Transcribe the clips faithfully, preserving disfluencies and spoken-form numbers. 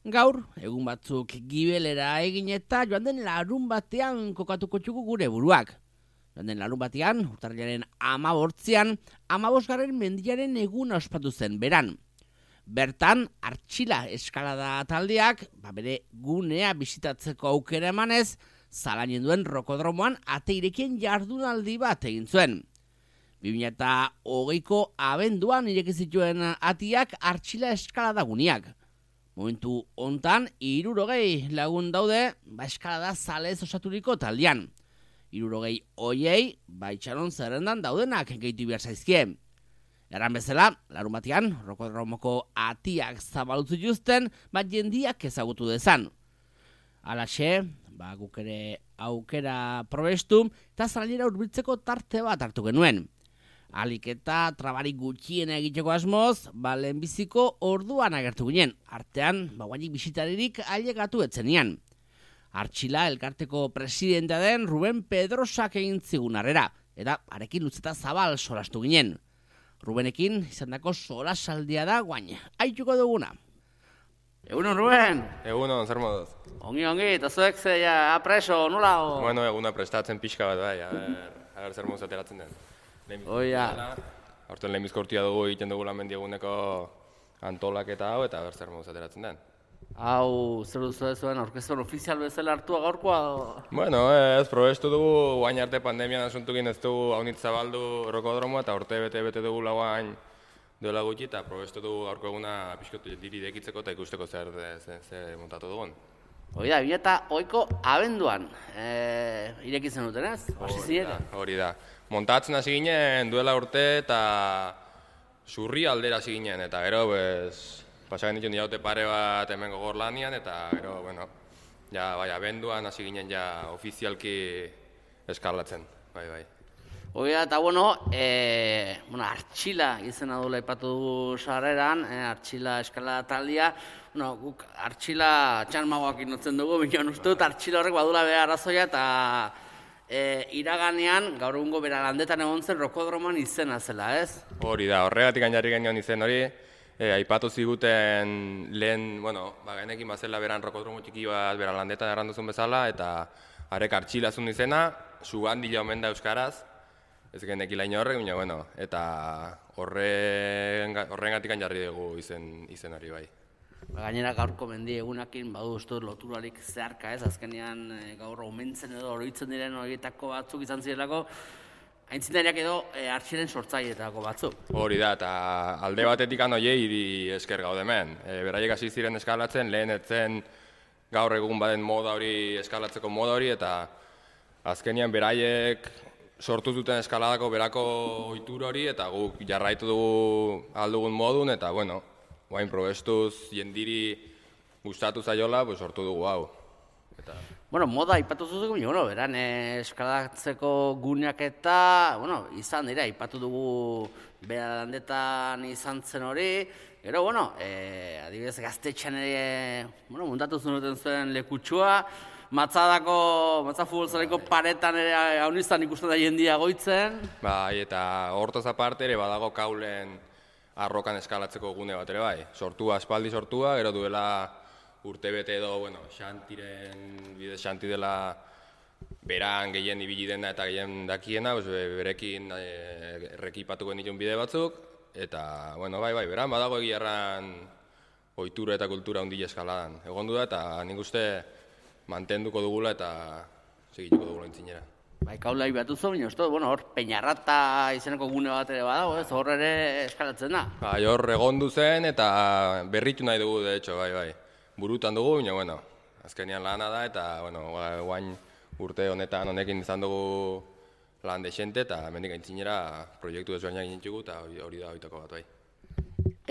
Gaur, egun batzuk gibelera egin eta joan den larun batean kokatuko txugu gure buruak. Joan den larun batean, urtarrilaren amabortzian, amabosgarren mendiaren eguna ospatu zen beran. Bertan, Artxila eskalada taldeak, ba bere gunea bisitatzeko aukera emanez, zalainen duen rokodromoan ate irekien jardunaldi bat egin zuen. bi mila hogeiko abenduan ireki zituen atiak Artxila eskalada guneak. Momentu hontan, hirurogei lagun daude, ba eskalada zalez osaturiko taldean. Hirurogei hoiei, ba itxaron zerrendan daudenak gehitu behar zaizkie. Eran bezala, larun batean, rokodromoko atiak zabalutzu zituzten, ba jendiak ezagutu dezan. Halaxe, ba guk ere aukera probestu, eta zalainera hurbiltzeko tarte bat hartu genuen. Alik eta trabarik gutxien egiteko asmoz, ba lehenbiziko orduan agertu ginen, artean, ba guainik bisitaririk ailegatu etzenian. Artxila elkarteko presidentea den Ruben Pedrosak egin zigun harrera, eta arekin lutzeta zabal solastu ginen. Rubenekin izandako solasaldia da guain, haituko duguna. Egunon, Ruben! Egunon, zer moduz? Ongi, ongi, eta zuek zeia apreso, nola? O... Bueno, eguna prestatzen pixka bat, bai, aber, aber zer moduz ateratzen den. Oia. Horten lehenbizko urtia dugu egiten dugu lan mendieguneko antolaketa hau, eta aber zer moduz ateratzen den. Hau, zer duzu zuen, orkestron ofizial bezala hartua gaurkoa? Bueno, ez, probestu dugu, guain arte pandemian asuntukin ez dugu haunitz zabaldu rokodromoa, eta urte bete-bete dugu lauain duela gutxi, eta probestu dugu gaurko eguna pixkotu diri dekitzeko eta ikusteko zer, zer, zer montatu dugun. Hori da, bi eta hogeiko abenduan, e, irekitzen duten ez? Hori da, hori da. Montatzen hasi ginen duela urte eta zurri aldera hasi ginen, eta gero, bez, pasagen ditun jaute pare bat hemen gogor lanian, eta gero, bueno, ja, bai, abenduan hasi ginen ja ofizialki eskalatzen, bai, bai. Hori da, eta bueno, e, bueno, Artxila izena duela ipatu dugu sarreran, e, Artxila eskalada taldea, bueno, guk Artxila txalmagoak inotzen dugu, bineon uste dut Artxila horrek badula behar arazoia, eta e, iraganean, gaur egungo bera landetan egon zen rokodroman izena zela, ez? Hori da, horregatik jarri genion izen hori, e, aipatu ziguten lehen, bueno, ba, genekin bazela beran rokodromo txiki bat bera landetan erranduzun bezala, eta harek Artxila zun izena, sugandila omen da euskaraz, ez genek ilaino horrek, baina, bueno, eta horrengatik jarri dugu izen, izen hori bai. Gainera gaurko mendi egunakin badu uste dut loturarik zeharka ez, azkenean e, gaur omentzen edo oroitzen diren horietako batzuk izan zirelako, aintzinariak edo e, Artxilen sortzaileetako batzuk. Hori da, eta alde batetik anoiei esker gaude hemen. E, beraiek hasi ziren eskalatzen, lehen etzen gaur egun baden moda hori, eskalatzeko moda hori, eta azkenean beraiek sortu zuten eskaladako berako ohitur hori, eta guk jarraitu dugu aldugun modun, eta bueno, guain probestuz jendiri gustatu zaiola, pues, sortu dugu hau. Eta... Bueno, moda ipatu zuzuk, bueno, beran eskalatzeko guneak eta, bueno, izan dira, ipatu dugu bera landetan izan zen hori, gero, bueno, e, adibidez gaztetxean ere, bueno, muntatu zenuten zuen lekutsua, Matzadako, matza futbolzaleko paretan ere hauniztan ikusten da jendia goitzen. Bai, eta hortaz aparte ere badago kaulen arrokan eskalatzeko gune bat ere bai. Sortua, aspaldi sortua, gero duela urte bete edo, bueno, xantiren, bidez xanti dela beran gehien ibili dena eta gehien dakiena, pues, berekin e, errekipatuko nituen bide batzuk, eta, bueno, bai, bai, beran badago egiarran ohitura eta kultura hundi eskaladan. Egondu da, eta nik uste mantenduko dugula eta segituko dugula intzinera. Bai, kaula ibatu zu, baina uste, bueno, hor Peñarrata izeneko gune bat ere badago, ez, hor ere eskalatzen da. Bai, hor egondu zen eta berritu nahi dugu, de hecho, bai, bai. Burutan dugu, baina, bueno, azkenean lana da eta, bueno, guain urte honetan honekin izan dugu lan desente eta hemendik aintzinera proiektu desberdinak egin ditugu eta hori da hoitako bat, bai.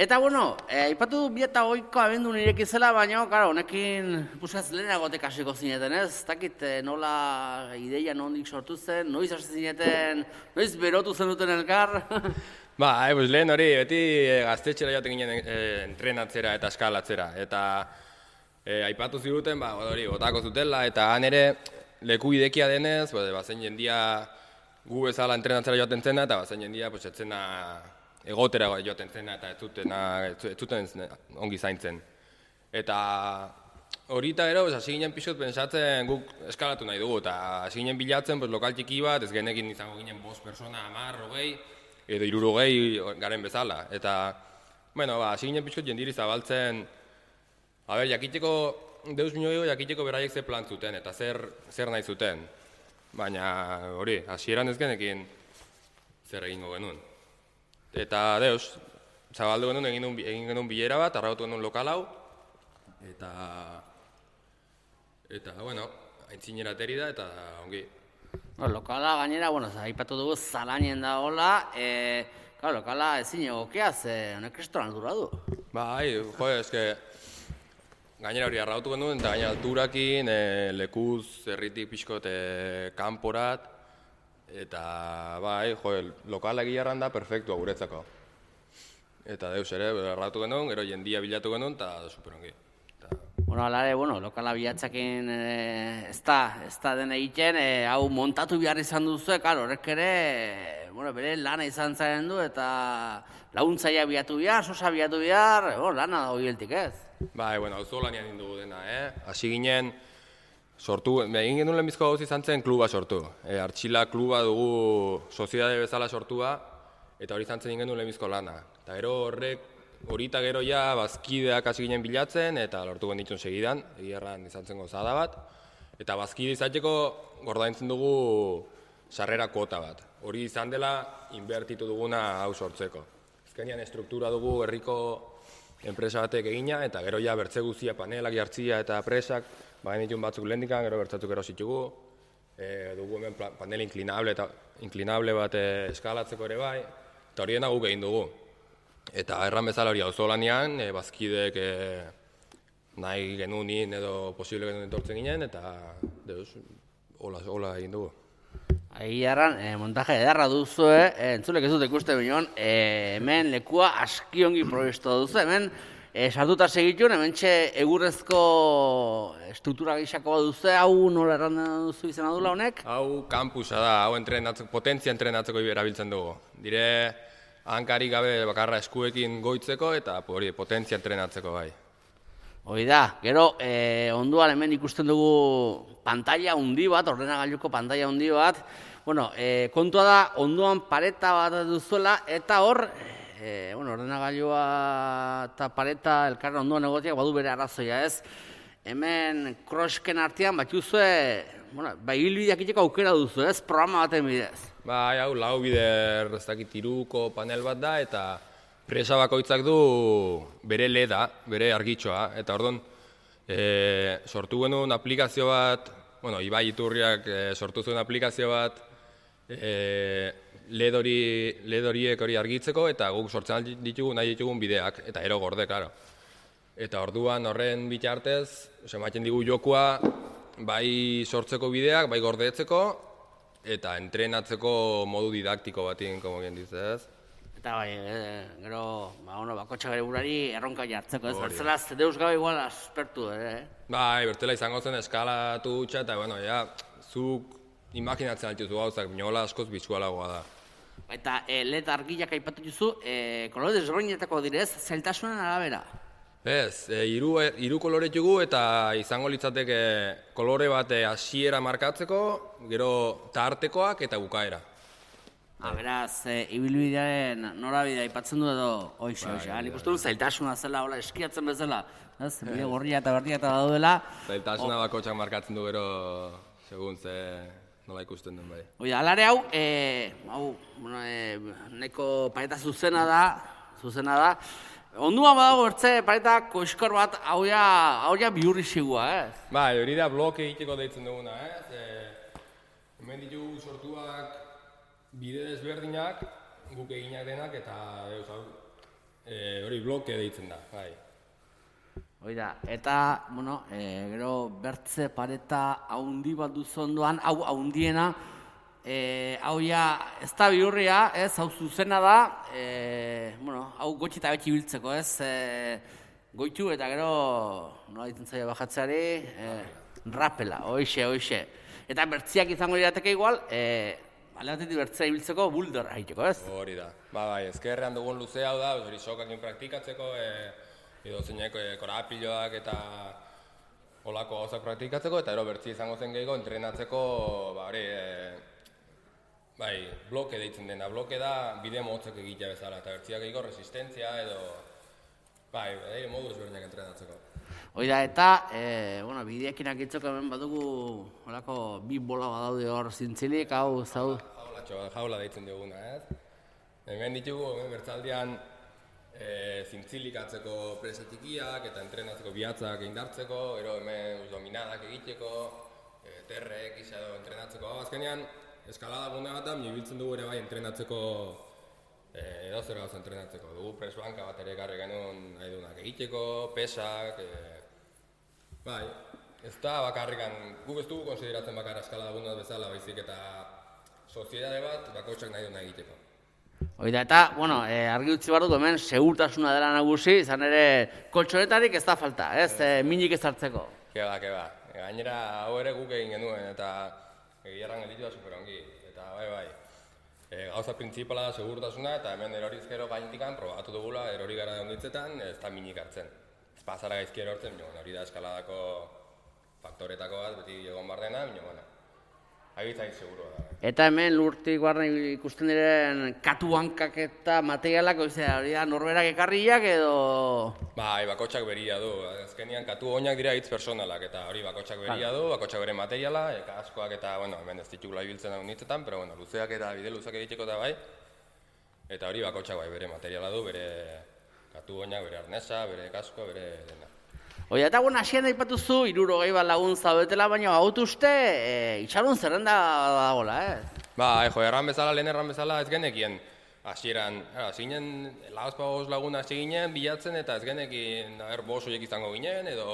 Eta, bueno, aipatu du bi eta hogeiko abendu nireki zela, baina, karo, honekin puskaz lehenagotek hasiko zineten, ez? Ez dakit nola ideia nondik sortu zen, noiz hasi zineten, noiz berotu zenuten elkar? Ba, e, pues, lehen hori, beti e, gaztetxera joaten ginen e, entrenatzera eta eskalatzera. Eta e, aipatu ziruten, ba, hori, botako zutela, eta han ere leku idekia denez, ba, bazen jendia gu bezala entrenatzera joaten zena, eta bazen jendia, pues, etzena egotera joaten zena eta ez zuten ongi zaintzen. Eta hori eta gero, hasi ginen pixot pentsatzen guk eskalatu nahi dugu, eta hasi ginen bilatzen pues, lokal txiki bat, ez genekin izango ginen bost persona, hamar, hogei, edo hirurogei garen bezala. Eta, bueno, ba, hasi ginen pixot jendiri zabaltzen, a ber, jakiteko, deus minio jakiteko beraiek ze plan zuten, eta zer, zer nahi zuten. Baina hori, hasieran ez genekin zer egingo genuen. Eta deus, zabaldu genuen, egin, egin genuen bilera bat, arrautu genuen lokal hau, eta, eta, bueno, aintzinera ateri da, eta ongi. No, lokala gainera, bueno, aipatu dugu zalainen da hola, e, claro, lokala ezin egokea, ze honek kristoran aldura du. Bai, jo, eske, gainera hori arrautu genuen, eta gainera alturakin, e, lekuz, herritik pixkot, e, kanporat, eta, bai, jo, lokala egiarran da perfektua guretzako. Eta deus ere, arrautu genuen, gero jendia bilatu genuen, eta superongi. Bueno, alare, bueno, lokala bilatzakin e, ez da, ez da den egiten, e, hau montatu behar izan duzu, karo, horrek ere, bueno, bere lana izan zaren du, eta laguntzaia bilatu behar, sosa bilatu behar, bueno, lana da horieltik ez. Bai, bueno, hau zolanean indugu dena, eh? Hasi ginen, sortu, egin genuen lehenbizko gauz izan zen kluba sortu. E, Artxila kluba dugu soziedade bezala sortua, eta hori izan zen genuen lehenbizko lana. Eta gero horrek, hori eta gero ja bazkideak hasi ginen bilatzen, eta lortu genitxun segidan, egierran izan zen gozada bat. Eta bazkide izateko gordaintzen dugu sarrera kuota bat. Hori izan dela inbertitu duguna hau sortzeko. Azkenean estruktura dugu herriko enpresa batek egina, eta gero ja bertze guzia panelak jartzia eta presak, baina ditun batzuk lehendikan, gero bertzatzuk erositugu. E, dugu hemen panel inklinable, eta, inklinable bat eskalatzeko ere bai, eta hori dena guk egin dugu. Eta erran bezala hori auzolanean, e, bazkideek e, nahi genunin edo posible genuen etortzen ginen, eta deus, hola, hola egin dugu. Ahi erran, e, montaje edarra duzu, e, entzulek ez dut ikuste bineon, e, hemen lekua askiongi proiesto duzu, hemen e, sartuta segitun, hemen txe egurrezko struktura gixako duzu, hau nola erran duzu izan adula honek? Hau kampusa da, hau entrenatzeko, potentzia entrenatzeko erabiltzen dugu. Dire, hankari gabe bakarra eskuekin goitzeko eta hori potentzia entrenatzeko bai. Hoi da, gero eh, onduan hemen ikusten dugu pantalla handi bat, ordenagailuko pantalla handi bat. Bueno, eh, kontua da onduan pareta bat duzuela eta hor, eh, bueno, ordenagailua eta pareta elkarra onduan egotiak badu bere arrazoia ez. Hemen krosken artean batuzue, bueno, bai hilbideak iteko aukera duzu ez, programa baten bidez. Bai, hau, lau bider, ez dakit, iruko panel bat da, eta presa bakoitzak du bere leda, bere argitxoa, eta orduan, e, sortu genuen aplikazio bat, bueno, Ibai Iturriak e, sortu zuen aplikazio bat, e, led horiek hori argitzeko, eta guk sortzen ditugu, nahi ditugun bideak, eta ero gorde, klaro. Eta orduan horren bitartez, ematen digu jokua, bai sortzeko bideak, bai gordeetzeko, eta entrenatzeko modu didaktiko batien, como bien dizez. Eta bai, e, gero, ba, bueno, bakotxa bere burari erronka jartzeko, ez? Bertzela, deus gabe igual aspertu, ere, eh? Bai, bertzela izango zen eskalatu utxa, eta, bueno, ja, zuk imaginatzen altuzu gauzak, binola askoz bizualagoa da. Eta e, led argilak aipatu duzu, e, kolore desberdinetako direz, zailtasunen arabera? Ez, e, iru, iru kolore dugu eta izango litzateke kolore bat hasiera markatzeko, gero tartekoak eta bukaera. Ah, beraz, e, ibilbidearen norabidea aipatzen du edo hoxe, hoxe. Nik uste dut zailtasuna zela, hola, eskiatzen bezala, ez? Bide gorria eta berdia eta daudela. Zailtasuna bakotxak markatzen du gero, segun ze nola ikusten den bai. Oida, alare hau, e, hau, bueno, e, neko pareta zuzena da, zuzena da. Onduan badago bertze pareta koskor bat, hau ja bihurri sigua, ez? Bai, hori da bloke egiteko deitzen duguna, ez? E, hemen ditugu sortuak bide desberdinak, guk eginak denak, eta e, hori bloke deitzen da, bai. Hoi da, eta, bueno, e, gero bertze pareta haundi bat duzu ondoan, hau haundiena, E, hau ja, ez da bihurria, ez, hau zuzena da, e, bueno, hau gotxi eta betxi biltzeko, ez, e, goitu eta gero, nola ditzen zaila bajatzeari, e, rapela, hoixe, hoixe. Eta bertziak izango dirateke igual, e, alde batetik bertzea ibiltzeko bulder haiteko, ez? Hori da, ba, bai, ezkerrean dugun luze hau da, hori sokakin praktikatzeko, e, edo zeinek korapiloak eta olako gauzak praktikatzeko, eta ero bertzi izango zen gehiago entrenatzeko, ba hori, e, bai, bloke deitzen dena, bloke da bide motzak egitea bezala, eta bertziak gehiago resistentzia edo, bai, bai, modu ezberdinak entrenatzeko. Hoi da, eta, e, bueno, bideekin akitzeko hemen badugu, olako bi bola badaude hor zintzilik, hau, zau? Jaulatxo, jaula deitzen duguna, ez? Hemen ditugu, hemen bertzaldian, E, zintzilik atzeko presetikiak eta entrenatzeko bihatzak indartzeko, ero hemen dominadak egiteko, e, terrek isa edo entrenatzeko. Azkenean, eskalada gune bat da, ibiltzen dugu ere bai entrenatzeko, e, edo zer gauza entrenatzeko. Dugu presbanka bat ere ekarri genuen nahi duenak egiteko, pesak, e, bai, ez da bakarrikan, guk ez dugu konsideratzen bakarra eskalada gune bat bezala, baizik eta soziedade bat bakotxak nahi duena egiteko. Hoi da, eta, bueno, e, argi utzi behar dut hemen segurtasuna dela nagusi, izan ere koltxonetarik ez da falta, ez, e, minik ez hartzeko. Keba, keba, gainera hau ere guk egin genuen, eta egiarran gelitu da superongi, eta bai, bai. E, gauza printzipala da segurtasuna, eta hemen erorizkero gaintikan probatu dugula erori gara onditzetan, ez da minik hartzen. Ez pasara gaizki erortzen, hori da eskaladako faktoretako bat, beti egon bar dena, bino, bueno. Agitzai seguro da. Eta hemen lurtik barren ikusten diren katu hankak eta materialak, oizea, hori da norberak ekarriak edo... Bai, bakotxak beria du. Azkenean katu oinak dira hitz personalak, eta hori bakotxak beria du, bakotxak bere materiala, eka askoak eta, bueno, hemen ez ditugula ibiltzen hau nitzetan, pero, bueno, luzeak eta bide luzak egiteko da bai. Eta hori bakotxak bai bere materiala du, bere katu oinak, bere arnesa, bere kaskoa, bere dena. Oia, eta guen hasien daipatu zu, hirurogei bat lagun zaudetela, baina gautu uste, e, itxaron zerrenda dagoela, eh? Ba, jo, erran bezala, lehen erran bezala ez genekien hasieran, zinen lauzpa bost lagun hasi ginen, bilatzen eta ez genekien, er, bost horiek izango ginen, edo,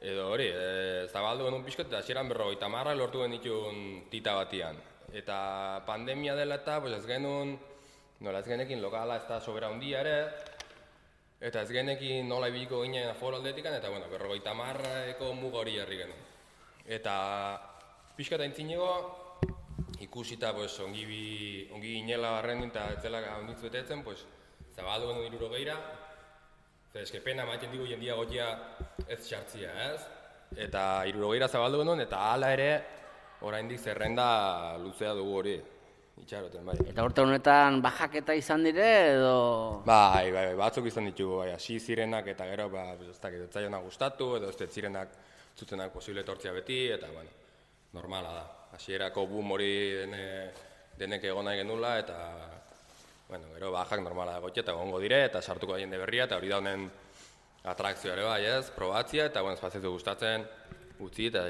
edo hori, e, zabaldu genuen pixkot, eta hasieran berrogeita marra lortu genitun tita batian. Eta pandemia dela eta, pues ez genuen, nola ez genekin lokala ez da sobera hundia ere, eta ez genekin nola ibiliko ginen aforo aldetikan, eta bueno, berrogeita marrako muga hori jarri genuen. Eta pixka eta intzinego, ikusita pues, ongi, bi, ongi ginela barren eta ez zela onditz betetzen, pues, zabaldu genuen hirurogeira, eta eske pena maiten digu jendia gotia ez txartzia, ez? Eta hirurogeira zabaldu genuen, eta hala ere, oraindik zerrenda luzea dugu hori. Itxaroten, bai. Eta urte honetan bajaketa izan dire, edo... Bai, bai, bai, batzuk izan ditugu, bai, hasi zirenak eta gero, ba, ez dakit, ez zaiona gustatu, edo ez zirenak zutenak posible etortzia beti, eta, bueno, normala da. Hasierako boom hori dene, denek egon nahi genula, eta, bueno, gero bajak normala da gotia, eta gongo dire, eta sartuko da jende berria, eta hori da honen atrakzioa ere bai, ez, probatzia, eta, bueno, ez pazizu gustatzen, utzi, eta...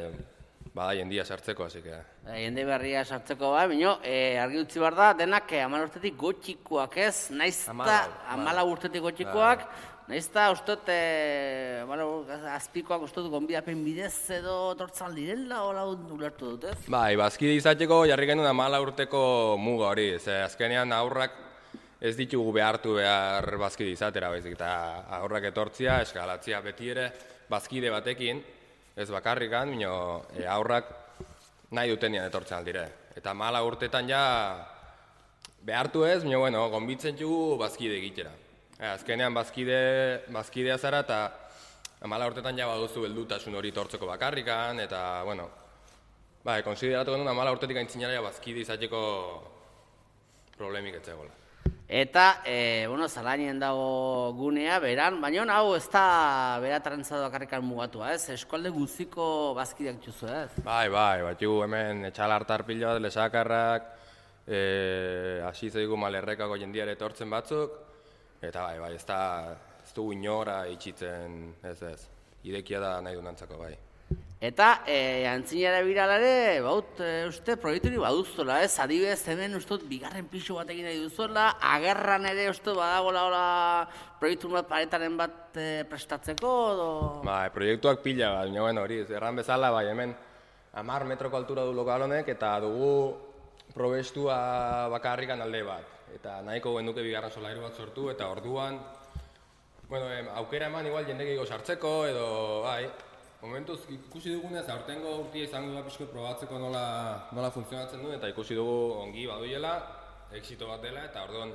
Bada, jendia sartzeko, hasi que... Jende berria sartzeko, bai, bino, e, argi utzi behar da, denak eh, hamar urtetik gotxikoak ez, naiz eta hamala urtetik gotxikoak, naiz eta ustot, e, azpikoak ustot gonbidapen bidez edo tortzal direla, hola ulertu dut, ez? Bai, bazkide izateko jarri genuen hamala urteko muga hori, ze azkenean aurrak ez ditugu behartu behar bazkide izatera, baizik, eta aurrak etortzia, eskalatzia beti ere, bazkide batekin, ez bakarrikan, bino, e, aurrak nahi dutenean etortzen aldire. Eta mala urtetan ja behartu ez, bino, bueno, gonbitzen dugu bazkide egitera. E, azkenean bazkide, bazkidea zara eta mala urtetan ja baduzu beldutasun hori tortzeko bakarrikan, eta, bueno, bai, konsideratu genuen mala urtetik aintzinara bazkide izateko problemik etzegoela. Eta, e, bueno, zalainien dago gunea, beran, baina hau ez da bera trantzado bakarrikan mugatua, ez? Eskualde guziko bazkideak txuzu, ez? Bai, bai, bat jugu hemen etxalartar pilo bat, lesakarrak, e, hasi zaigu malerrekako jendiare etortzen batzuk, eta bai, bai, ez da, ez dugu inora itxitzen, ez ez, idekia da nahi du nantzako, bai. Eta, e, antzinara biralare, baut, e, uste, proiekturi baduzuela, ez? Adibidez, hemen, uste, bigarren pisu bat egin nahi duzuela, agerran ere, uste, badagoela, hola, proiektu bat paretaren bat e, prestatzeko, edo... Bai, proiektuak pila bat, baina, bueno, hori, erran bezala, bai, hemen, hamar metroko altura du lokal honek, eta dugu probestua bakarrikan alde bat. Eta nahiko genuke bigarren solairu bat sortu, eta orduan, bueno, em, aukera eman igual jendekiko sartzeko, edo, bai, momentuz ikusi dugunez, aurtengo urtia izango da pixko probatzeko nola, nola funtzionatzen duen, eta ikusi dugu ongi baduiela, exito bat dela, eta orduan,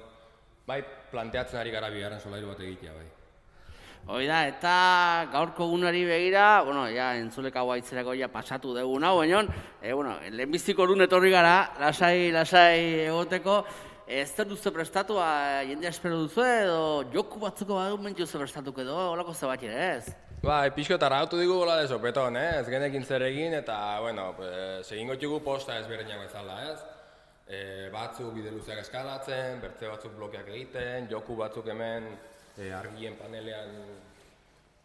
bai, planteatzen ari gara bigarren solairu bat egitea, bai. Hoi da, eta gaurko gunari begira, bueno, ja, entzuleka guaitzerako ja pasatu dugu nau, baina, e, bueno, lehenbiziko lun etorri gara, lasai, lasai egoteko, ez da duzu prestatu, jendea espero duzu edo joku batzuko badu mentzu duzu prestatuko edo, holako ze bat ere, ez? Ba, pixko eta rautu digu gola de sopeton, eh? Ez genekin zer egin, eta, bueno, pues, egingo txugu posta ezberdinak bezala, ez? E, batzuk bide luzeak eskalatzen, bertze batzuk blokeak egiten, joku batzuk hemen e, argien panelean,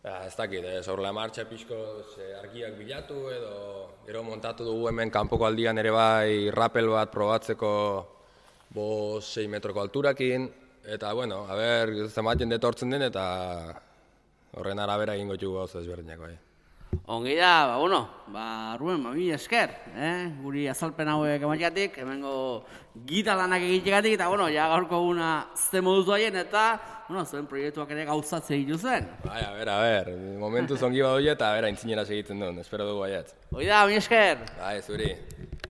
ba, ez dakit, ez horrela martxa pixko e, argiak bilatu edo gero montatu dugu hemen kanpoko aldian ere bai rappel bat probatzeko bost sei metroko alturakin, eta, bueno, a ber, zenbat jende etortzen den eta horren arabera egingo txugu gauza ezberdinak bai. Ongi da, ba, bueno, ba, Ruben, ba, mi esker, eh? Guri azalpen hauek emateatik, hemengo gita lanak egitegatik, eta, bueno, ja gaurko guna ze moduz doaien, eta, bueno, zuen proiektuak ere gauzatze dituzen. Bai, a ber, a ber, momentu zongi badoia eta, a ber, aintzinera segitzen duen, espero dugu baiat. Hoi da, mi esker! Bai, zuri.